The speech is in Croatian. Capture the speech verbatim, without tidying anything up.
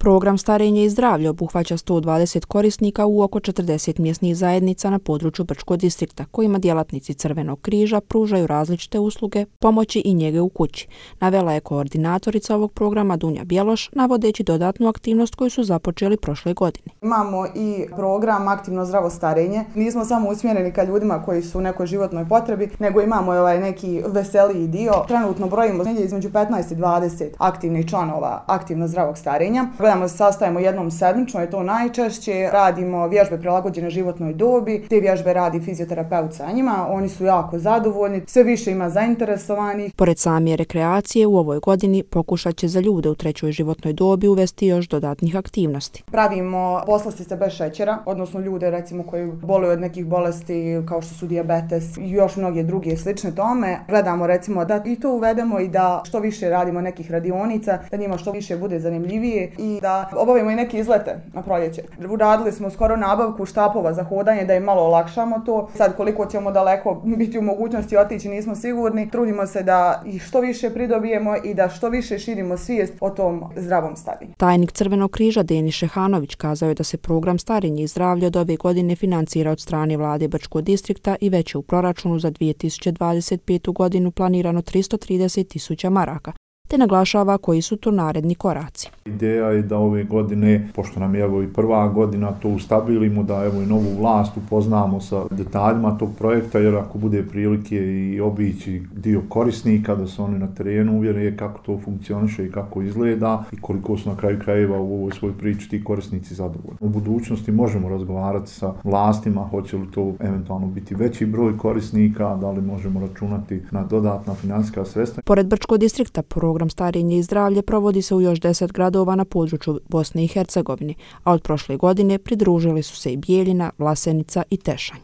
Program Starenje i zdravlje obuhvaća sto dvadeset korisnika u oko četrdeset mjesnih zajednica na području Brčkog distrikta, kojima djelatnici Crvenog križa pružaju različite usluge, pomoći i njege u kući, navela je koordinatorica ovog programa Dunja Bjeloš, navodeći dodatnu aktivnost koju su započeli prošle godine. Imamo i program Aktivno zdravo starenje. Nismo samo usmjereni ka ljudima koji su u nekoj životnoj potrebi, nego imamo ovaj neki veseliji dio. Trenutno brojimo između petnaest i dvadeset aktivnih članova aktivno zdravog starenja. Gledamo se sastajemo jednom sedmično, je to najčešće. Radimo vježbe prilagođene životnoj dobi. Te vježbe radi fizioterapeut sa njima. Oni su jako zadovoljni. Sve više ima zainteresovanih. Pored same rekreacije, u ovoj godini pokušat će za ljude u trećoj životnoj dobi uvesti još dodatnih aktivnosti. Pravimo poslastice bez šećera, odnosno ljude recimo koji boluju od nekih bolesti kao što su dijabetes i još mnoge druge slične tome. Gledamo recimo da i to uvedemo i da što više radimo nekih radionica, da njima što više bude zanimljivije i da obavimo i neke izlete na proljeće. Uradili smo skoro nabavku štapova za hodanje da im malo olakšamo to. Sad koliko ćemo daleko biti u mogućnosti otići nismo sigurni. Trudimo se da ih što više pridobijemo i da što više širimo svijest o tom zdravom starenju. Tajnik Crvenog križa Denis Šehanović kazao je da se program Starenje i zdravlje od ove godine financira od strane vlade Brčkog distrikta i već je u proračunu za dvije tisuće dvadeset petu godinu planirano tristo trideset tisuća maraka, te naglašava koji su to naredni koraci. Ideja je da ove godine, pošto nam je evo i prva godina, to ustabilimo, da evo i novu vlast upoznamo sa detaljima tog projekta, jer ako bude prilike i obići dio korisnika, da se oni na terenu uvjere kako to funkcioniše i kako izgleda i koliko su na kraju krajeva u ovoj svoj priči ti korisnici zadovoljni. U budućnosti možemo razgovarati sa vlastima, hoće li to eventualno biti veći broj korisnika, da li možemo računati na dodatna financijska sredstva. Pored Brčkog distrikta, program Starenje i zdravlje provodi se u još deset gradova na području Bosne i Hercegovine, a od prošle godine pridružili su se i Bijeljina, Vlasenica i Tešanj.